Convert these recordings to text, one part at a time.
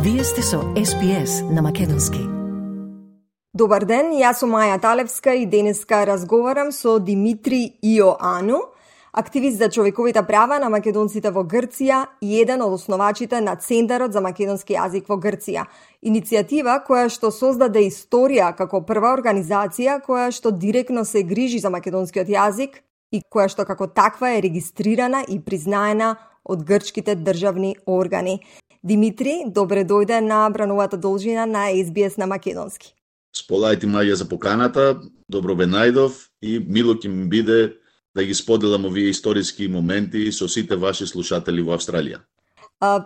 Вие сте со SPS на Македонски. Добар ден, јас сум Маја Талевска и денеска разговарам со Димитри Иоану, активист за човековите права на македонците во Грција и еден од основачите на Центарот за македонски јазик во Грција. Иницијатива која што создаде историја како прва организација која што директно се грижи за македонскиот јазик и која што како таква е регистрирана и признаена од грчките државни органи. Димитри, добре дојде на брановата должина на SBS на македонски. Сполајте Маја за поканата, добро бе најдов и мило ќе ми биде да ги споделам овие историски моменти со сите ваши слушатели во Австралија.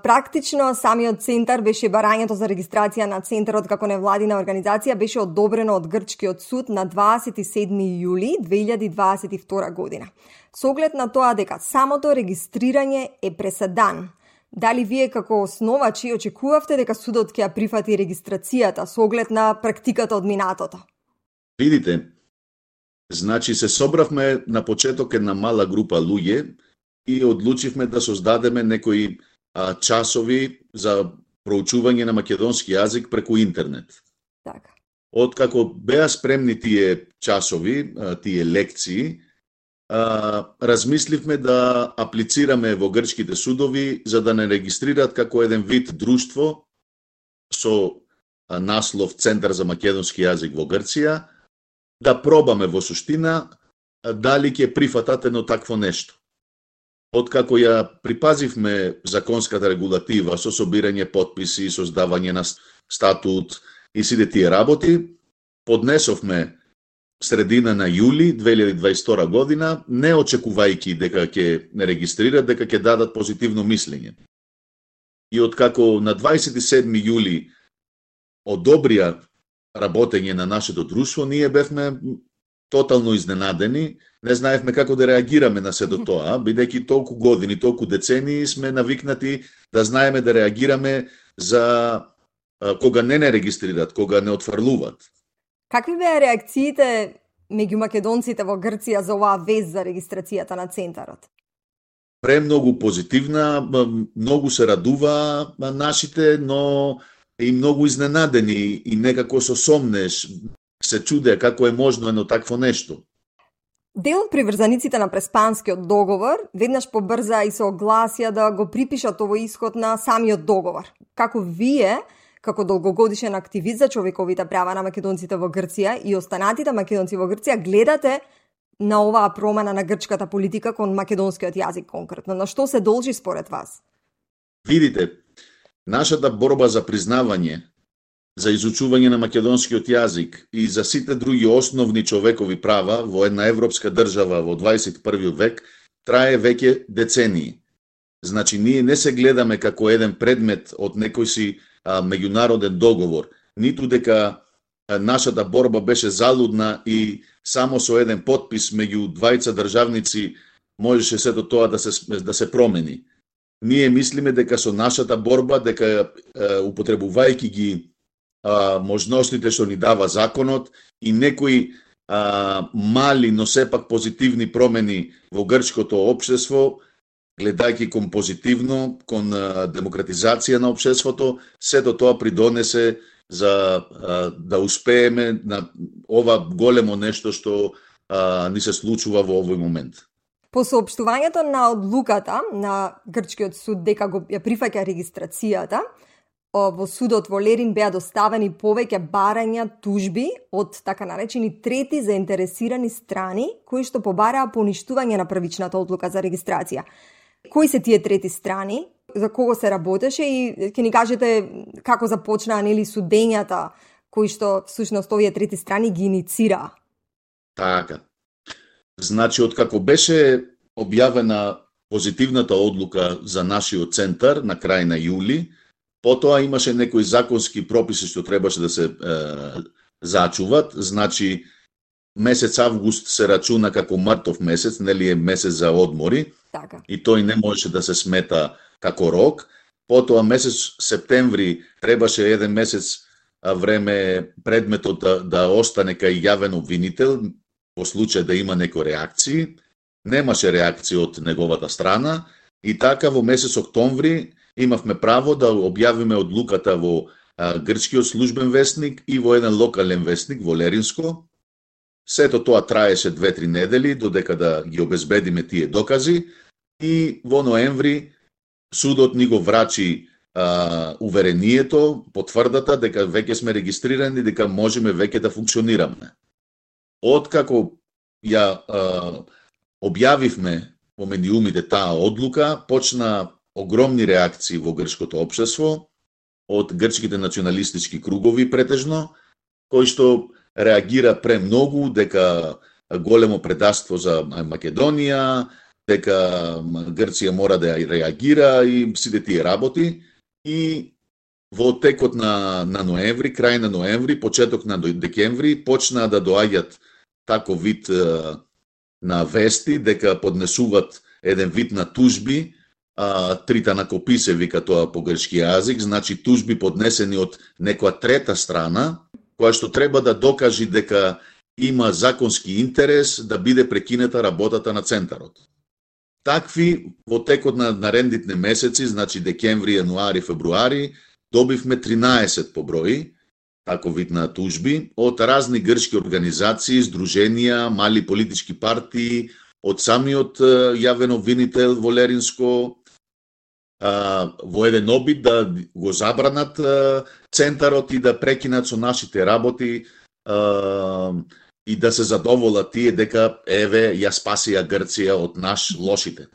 Практично самиот центар беше барањето за регистрација на центарот како невладина организација беше одобрено од грчкиот суд на 27 јули 2022 година. Со оглед на тоа дека самото регистрирање е преседан, дали вие како основачи очекувавте дека судот ќе ја прифати регистрацијата со оглед на практиката од минатото? Видите, значи се собравме на почеток една мала група луѓе и одлучивме да создадеме некои часови за проучување на македонски јазик преку интернет. Така. Откако беа спремни тие часови, тие лекции, размисливме да аплицираме во грчките судови за да не регистрираат како еден вид друштво со наслов Центар за македонски јазик во Грција, да пробаме во суштина дали ќе прифатат едно такво нешто. Откако ја припазивме законската регулатива со собирање потписи, создавање на статут и сите тие работи, поднесовме средина на јули 2022 година, не очекувајќи дека ќе не регистрират, дека ќе дадат позитивно мислење. И откако на 27 јули одобрија работење на нашето друштво, ние бевме тотално изненадени, не знаевме како да реагираме на сето тоа, бидејќи толку години, толку децении сме навикнати да знаеме да реагираме за кога не регистрират, кога не отфрлуваат. Какви беа реакциите меѓу македонците во Грција за оваа вест за регистрацијата на центарот? Премногу позитивна, многу се радува нашите, но и многу изненадени и некако со сомнеш се чудеа како е можно едно такво нешто. Дел од приврзаниците на Преспанскиот договор веднаш побрза и се огласија да го припишат овој исход на самиот договор. Како вие, како долгогодишен активист за човековите права на македонците во Грција и останатите македонци во Грција, гледате на оваа промена на грчката политика кон македонскиот јазик конкретно? На што се должи според вас? Видите, нашата борба за признавање, за изучување на македонскиот јазик и за сите други основни човекови права во една европска држава во 21 век трае веќе децении. Значи, ние не се гледаме како еден предмет од некој си меѓународен договор, ниту дека нашата борба беше залудна и само со еден потпис меѓу двајца државници можеше сето тоа да се промени. Ние мислиме дека со нашата борба, дека употребувајќи ги можностите што ни дава законот и некои мали, но сепак позитивни промени во грчкото општество, гледајќи кон позитивно, кон демократизација на општеството, сето тоа придонесе за да успееме на ова големо нешто што ни се случува во овој момент. По соопштувањето на одлуката на грчкиот суд дека ја прифаќа регистрацијата, во судот во Лерин беа доставени повеќе барања, тужби од така наречени трети заинтересирани страни кои што побараа поништување на првичната одлука за регистрација. Кои се тие трети страни? За кого се работеше и ќе ни кажете како започнаа нели судењата кои што всушност овие трети страни ги иницираа? Така. Значи, откако беше објавена позитивната одлука за нашиот центар на крај на јули, потоа имаше некои законски прописи што требаше да се зачуват. Значи, месец август се рачуна како мртов месец, нели е месец за одмори, така. И тој не можеше да се смета како рок. Потоа месец септември требаше еден месец време предметот да остане кај јавен обвинител, во случај да има некои реакции. Немаше реакции од неговата страна и така во месец октомври имавме право да објавиме одлуката во грчкиот службен весник и во еден локален весник во Леринско. Сето тоа траеше 2-3 недели додека да ги обезбедиме тие докази и во ноември судот ни го врачи уверението, потврдата дека веќе сме регистрирани, дека можеме веќе да функционираме. Откако ја објавивме во медиумите таа одлука, почна огромни реакции во грчкото општество од грчките националистички кругови претежно, кои што реагира премногу дека големо предавство за Македонија, дека Грција мора да реагира и сите тие работи. И во текот на ноември, крај на ноември, почеток на декември, почнаа да доаѓат таков вид на вести дека поднесуваат еден вид на тужби, тританакопи се вика тоа по грчки јазик, значи тужби поднесени од некоја трета страна, која што треба да докажи дека има законски интерес да биде прекинета работата на центарот. Такви во текот на наредните месеци, значи декември, јануари, февруари, добивме 13 по број, таков вид на тужби, од разни грчки организации, здруженија, мали политички партии, од самиот јавен обвинител во Леринско, во еден обид да го забранат центарот и да прекинат со нашите работи и да се задоволат тие дека еве ја спасија Грција од наш лошите.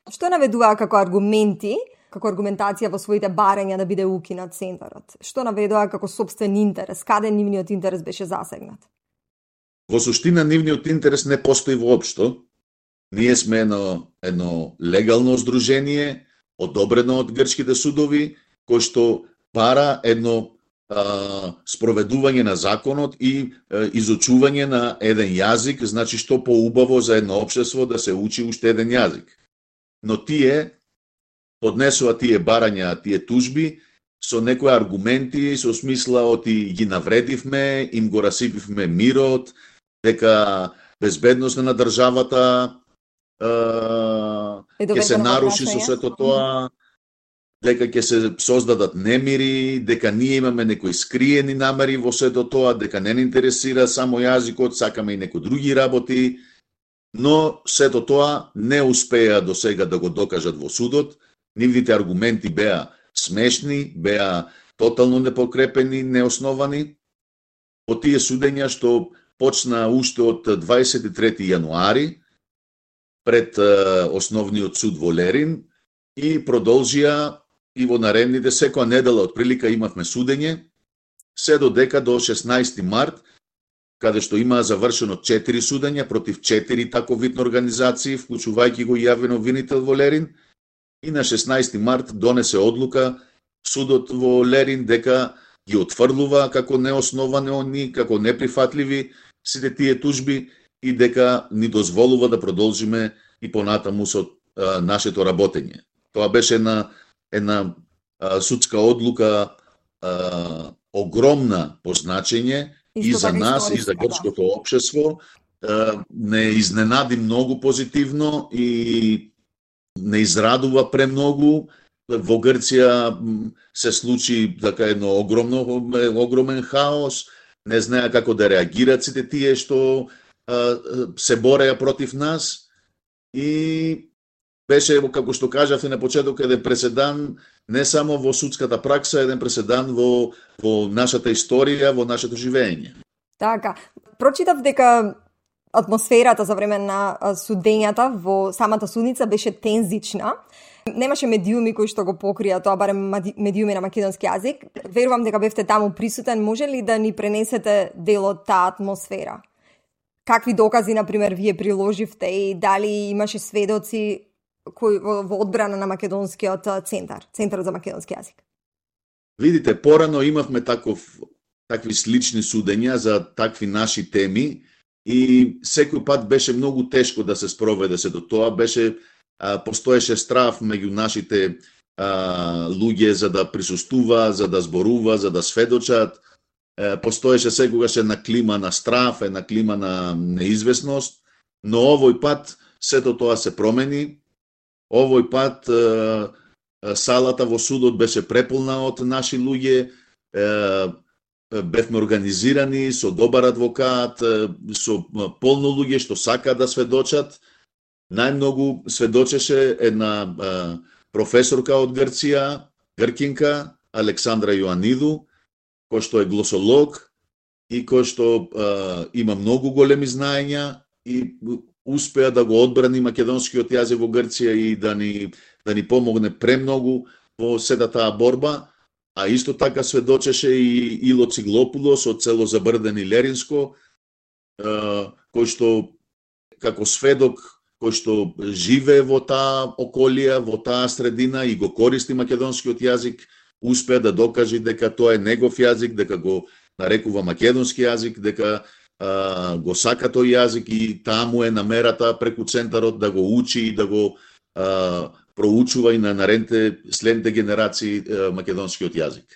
Што наведуваа како аргументи, како аргументација во своите барања да биде укинат центарот? Што наведуваа како сопствен интерес? Каде нивниот интерес беше засегнат? Во суштина нивниот интерес не постои воопшто. Ние сме едно легално здружение, одобрено од грчките судови, кој што бара едно спроведување на законот и изучување на еден јазик, значи што поубаво за едно општество да се учи уште еден јазик. Но тие поднесува тие барања, тие тужби со некои аргументи, со смисла оти ги навредивме, им го расипивме мирот, дека безбедноста на државата ќе се наруши со сето тоа, дека ќе се создадат немири, дека ние имаме некои скриени намери во сето тоа, дека не интересира само јазикот, сакаме и некои други работи, но сето тоа не успеа до сега да го докажат во судот. Нивните аргументи беа смешни, беа тотално непокрепени, неосновани. По тие судења што почна уште од 23 јануари пред основниот суд во Лерин и продолжија и во наредните секоја недела отприлика имавме судење, се додека до 16 март, каде што имаа завршено 4 судења против 4 тако видни организации, вклучувајќи го јавен обвинител во Лерин, и на 16 март донесе одлука судот во Лерин дека ги отфрлува како неосновани, како неприфатливи сите тие тужби и дека ни дозволува да продолжиме и понатаму со нашето работење. Тоа беше една судска одлука огромна по значење и за нас, и за грчкото општество. Не изненади многу позитивно и не израдува премногу. Во Грција се случи така едно огромен хаос, не знаеа како да реагираат сите тие што се бореа против нас и беше, како што кажавте на почеток, еден преседан не само во судската пракса, еден преседан во нашата историја, во нашето живење. Така, прочитав дека атмосферата за време на судењата во самата судница беше тензична. Немаше медиуми кои што го покрија тоа, барем медиуми на македонски јазик. Верувам дека бевте таму присутен. Може ли да ни пренесете дел од таа атмосфера? Какви докази, например, вие приложивте и дали имаше сведоци кои во одбрана на македонскиот центарот за македонски јазик? Видите, порано имавме такви слични судења за такви наши теми и секој пат беше многу тешко да се спроведе сето тоа. Постоеше страф меѓу нашите луѓе за да присуствува, за да зборува, за да сведочат. Постоеше секогаш една клима на страф, една клима на неизвестност, но овој пат сето тоа се промени. Овој пат салата во судот беше преполна од наши луѓе, бевме организирани со добар адвокат, со полно луѓе што сакаат да сведочат. Најмногу сведочеше една професорка од Грција, гркинка, Александра Јоаниду, кој што е глосолог и кој што има многу големи знаења и успеа да го одбрани македонскиот јазик во Грција и да ни помогне премногу во сета таа борба, а исто така сведочеше и Ило Циглопулос од село Забрден и Леринско, кој што како сведок, кој што живее во таа околија, во таа средина и го користи македонскиот јазик, успеа да докаже дека тоа е негов јазик, дека го нарекува македонски јазик, дека го сака тој јазик и таму е намерата преку центарот да го учи и да го проучува и на наредните следните генерации македонскиот јазик.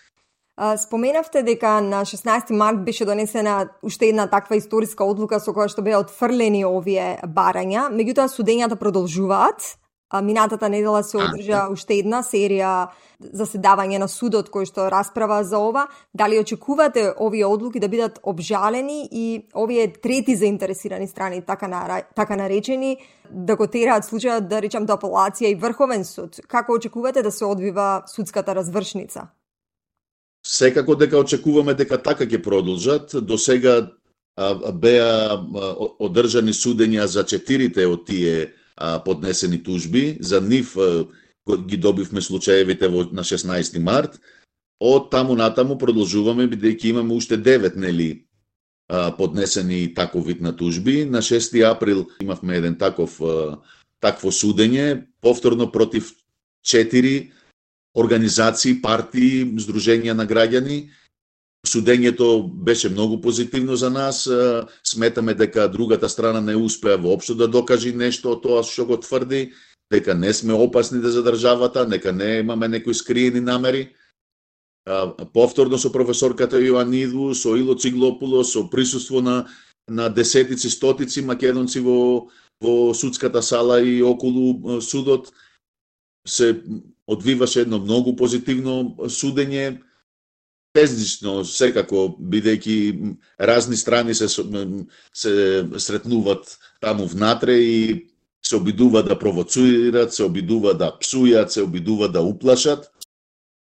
Споменавте дека на 16 март беше донесена уште една таква историска одлука со која што беа отфрлени овие барања, меѓутоа судењата продолжуваат. Минатата недела се одржа уште една серија заседавање на судот кој што расправа за ова. Дали очекувате овие одлуки да бидат обжалени и овие трети заинтересирани страни, така наречени, да го тераат случајот, да речам, до апелација и Врховен суд? Како очекувате да се одвива судската развршница? Секако дека очекуваме дека така ќе продолжат. До сега беа одржани судења за 4 од тие поднесени тужби. За нив ги добивме случаевите на 16 март. Од таму натаму продолжуваме, бидејќи имаме уште 9 поднесени таков вид на тужби. На 6 април имавме еден такво судење, повторно против 4 организации, партии, здруженија на граѓани. Судењето беше многу позитивно за нас. Сметаме дека другата страна не успеа воопшто да докаже нешто од тоа што го тврди, дека не сме опасни за државата, дека не имаме некои скриени намери. Повторно со професорката Јоаниду, со Ило Циглопулос, со присуство на десетици, стотици македонци во судската сала и околу судот, се одвиваше едно многу позитивно судење, безлично секако, бидејќи разни страни се сретнуваат таму внатре и се обидуваат да провоцират, се обидуваат да псујат, се обидуваат да уплашат.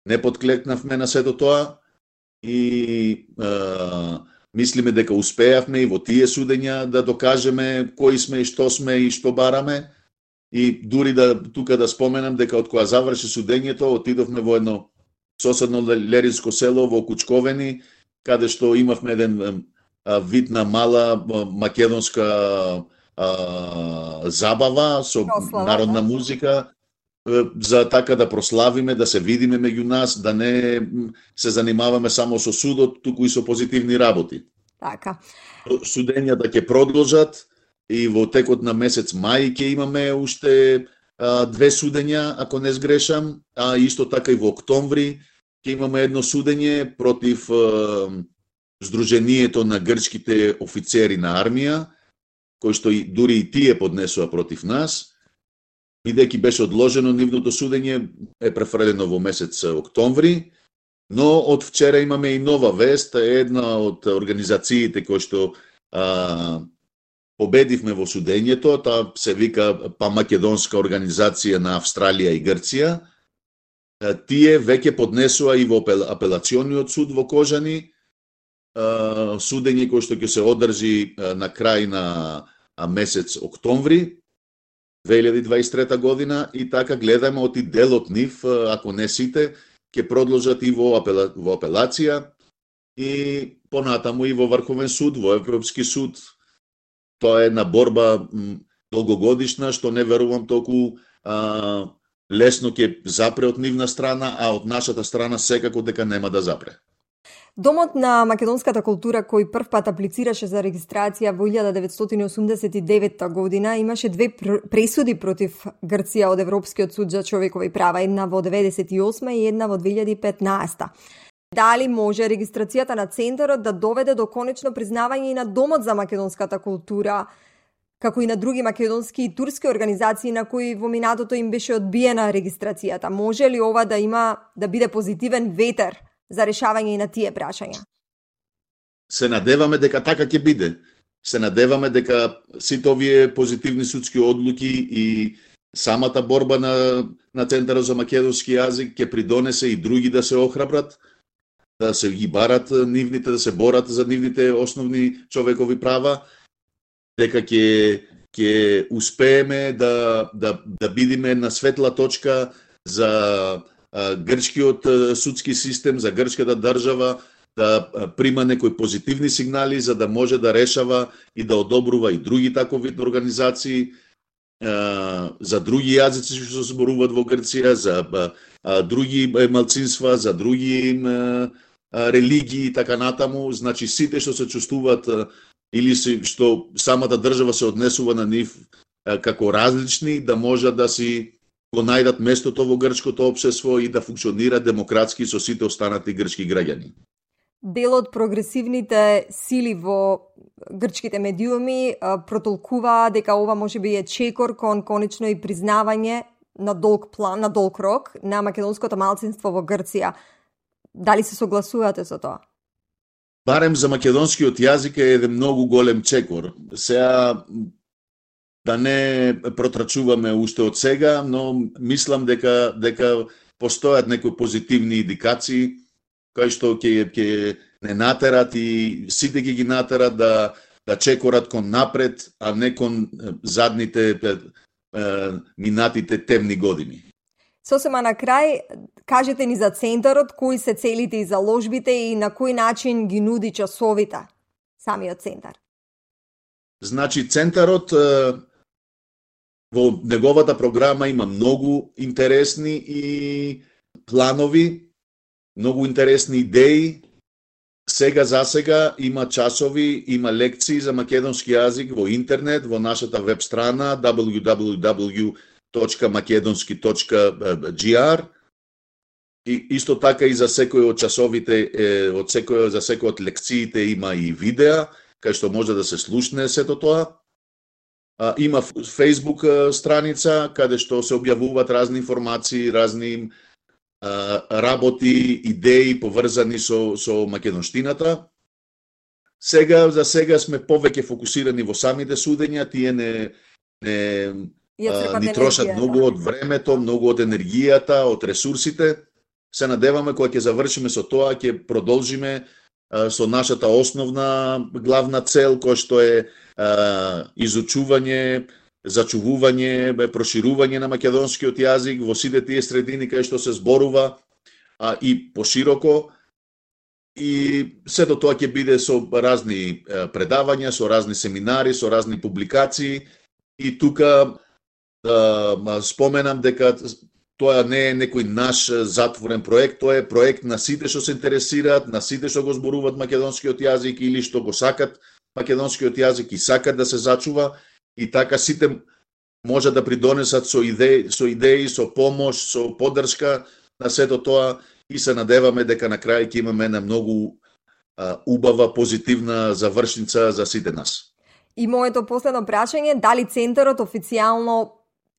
Не подклекнавме на сето тоа и мислиме дека успеавме и во тие судења да докажеме кои сме и што бараме. И дури тука да споменам дека од кога заврши судењето, отидовме во едно соседно леринско село во Кучковени, каде што имавме еден вид на мала македонска забава со народна музика, за така да прославиме, да се видиме меѓу нас, да не се занимаваме само со судот, туку и со позитивни работи. Така. Судењата ќе продолжат и во текот на месец мај ќе имаме уште 2 судења, ако не сгрешам, а исто така и во октомври ќе имаме едно судење против Сдруженијето на грчките офицери на армија, кој што дури и тие поднесува против нас, бидејќи беше одложено нивното судење, е префрлено во месец октомври, но од вчера имаме и нова вест, една од организациите кои што победивме во судењето, таа се вика Памакедонска организација на Австралија и Грција. Тие веќе поднесува и во апелациониот суд во Кожани судење кој што ќе се одржи на крај на месец октомври 2023 година и така гледаме оти дел од нив, ако не сите, ќе продолжат и во апелација и понатаму и во Врховен суд, во Европски суд. Тоа е една борба долгогодишна, што не верувам толку лесно ќе запре од нивна страна, а од нашата страна секако дека нема да запре. Домот на македонската култура, кој првпат аплицираше за регистрација во 1989 година, имаше 2 пресуди против Грција од Европскиот суд за човекови права, една во 1998 и една во 2015. Дали може регистрацијата на центарот да доведе до конечно признавање и на Домот за македонската култура како и на други македонски и турски организации на кои во минатото им беше одбиена регистрацијата. Може ли ова да биде позитивен ветер за решавање и на тие прашања? Се надеваме дека така ќе биде. Се надеваме дека сите овие позитивни судски одлуки и самата борба на Центарот за македонски јазик ќе придонесе и други да се охрабрат, да се ги барат нивните, да се борат за нивните основни човекови права, дека ќе успееме да бидиме на светла точка за грчкиот судски систем, за грчката држава, да прима некои позитивни сигнали за да може да решава и да одобрува и други такови организации, за други јазици што се зборуваат во Грција, за други малцинства, за други религии и така натаму. Значи сите што се чувствуваат или што самата држава се однесува на нив како различни, да можат да си го најдат местото во грчкото општество и да функционира демократски со сите останати грчки граѓани. Дел од прогресивните сили во грчките медиуми протолкува дека ова може би е чекор кон конечно и признавање на долг план, на долг рок на македонското малцинство во Грција. Дали се согласувате со тоа? Барем за македонскиот јазик е еден многу голем чекор. Сега да не протрачуваме уште од сега, но мислам дека постојат некои позитивни индикации кои што ќе не натерат и сите ги натерат да чекорат кон напред, а не кон задните минатите темни години. Сосема на крај, кажете ни за центарот, кои се целите и заложбите и на кој начин ги нуди часовите самиот центар? Значи, центарот во неговата програма има многу интересни и планови, многу интересни идеи. Сега за сега има часови, има лекции за македонски јазик во интернет, во нашата веб страна www.makedonski.gr. И исто така и за секој од часовите, за секој од лекциите има и видеа, кај што може да се слушне сето тоа. Има Facebook страница, каде што се објавуваат разни информации, разни работи, идеи поврзани со македонштината. За сега сме повеќе фокусирани во самите судења, тие ни трошат многу од времето, многу од енергијата, од ресурсите. Се надеваме кога ќе завршиме со тоа, ќе продолжиме со нашата основна главна цел, која што е изучување, зачувување, проширување на македонскиот јазик во сите тие средини кај што се зборува и пошироко. И сето тоа ќе биде со разни предавања, со разни семинари, со разни публикации. И тука споменам дека тоа не е некој наш затворен проект, тоа е проект на сите што се интересираат, на сите што го зборуваат македонскиот јазик или што го сакат македонскиот јазик и сакат да се зачува. И така сите може да придонесат со идеи, со помош, со поддршка на сето тоа и се надеваме дека на крај ќе имаме една многу убава, позитивна завршница за сите нас. И моето последно прашање, дали центарот официјално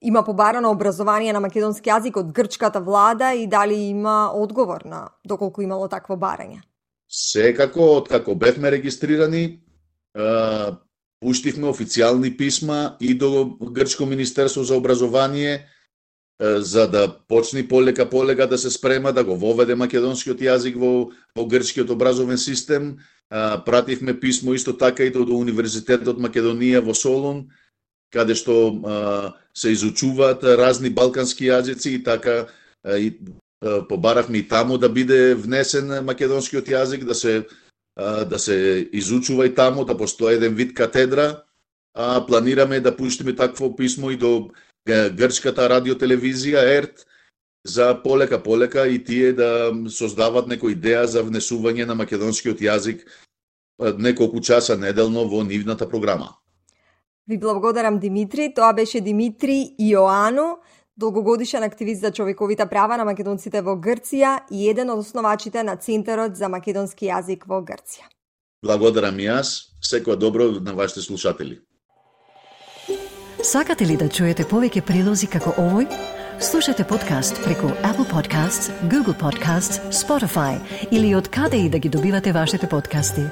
има побарано образование на македонски јазик од грчката влада и дали има одговор на доколку имало такво барање? Секако, откако бевме регистрирани, пуштивме официјални писма и до Грчко министерство за образование за да почне полека да се спрема да го воведе македонскиот јазик во грчкиот образовен систем. Пративме писмо исто така и до Универзитетот Македонија во Солун, каде што се изучуваат разни балкански јазици и така побаравме и таму да биде внесен македонскиот јазик, да се изучува и таму, да постои еден вид катедра. Планираме да пуштиме такво писмо и до грчката радиотелевизија ЕРТ за полека и тие да создават некоја идеја за внесување на македонскиот јазик неколку часа неделно во нивната програма. Ви благодарам, Димитри. Тоа беше Димитри Иоану, долгогодишен активист за човековите права на македонците во Грција и еден од основачите на Центарот за македонски јазик во Грција. Благодарам и јас. Секоја добро на вашите слушатели. Сакате ли да чуете повеќе прилози како овој? Слушате подкаст преку Apple Podcasts, Google Podcasts, Spotify или од каде и да ги добивате вашите подкасти.